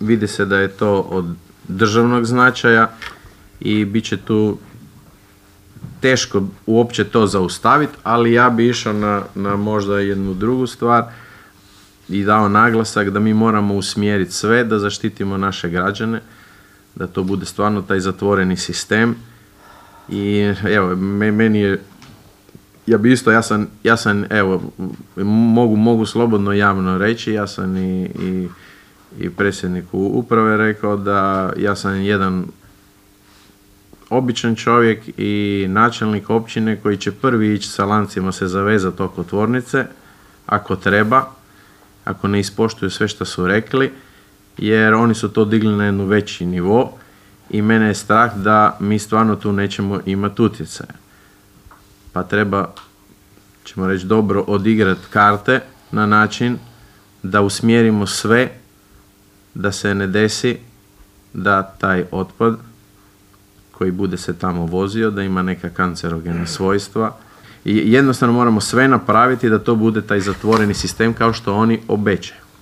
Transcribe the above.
vidi se da je to od državnog značaja i bit će tu teško uopće to zaustaviti, ali ja bi išao na možda jednu drugu stvar i dao naglasak da mi moramo usmjeriti sve da zaštitimo naše građane, da to bude stvarno taj zatvoreni sistem. I evo, meni je, ja bi isto, ja sam evo, mogu slobodno javno reći, ja sam i predsjedniku uprave rekao da ja sam jedan običan čovjek i načelnik općine koji će prvi ići sa lancima se zavezati oko tvornice, ako treba, ako ne ispoštuju sve što su rekli, jer oni su to digli na jednu veći nivo i mene je strah da mi stvarno tu nećemo imati utjecaja. Pa treba, ćemo reći, dobro odigrati karte na način da usmjerimo sve da se ne desi da taj otpad koji bude se tamo vozio, da ima neka kancerogena svojstva. I jednostavno moramo sve napraviti da to bude taj zatvoreni sistem kao što oni obećaju.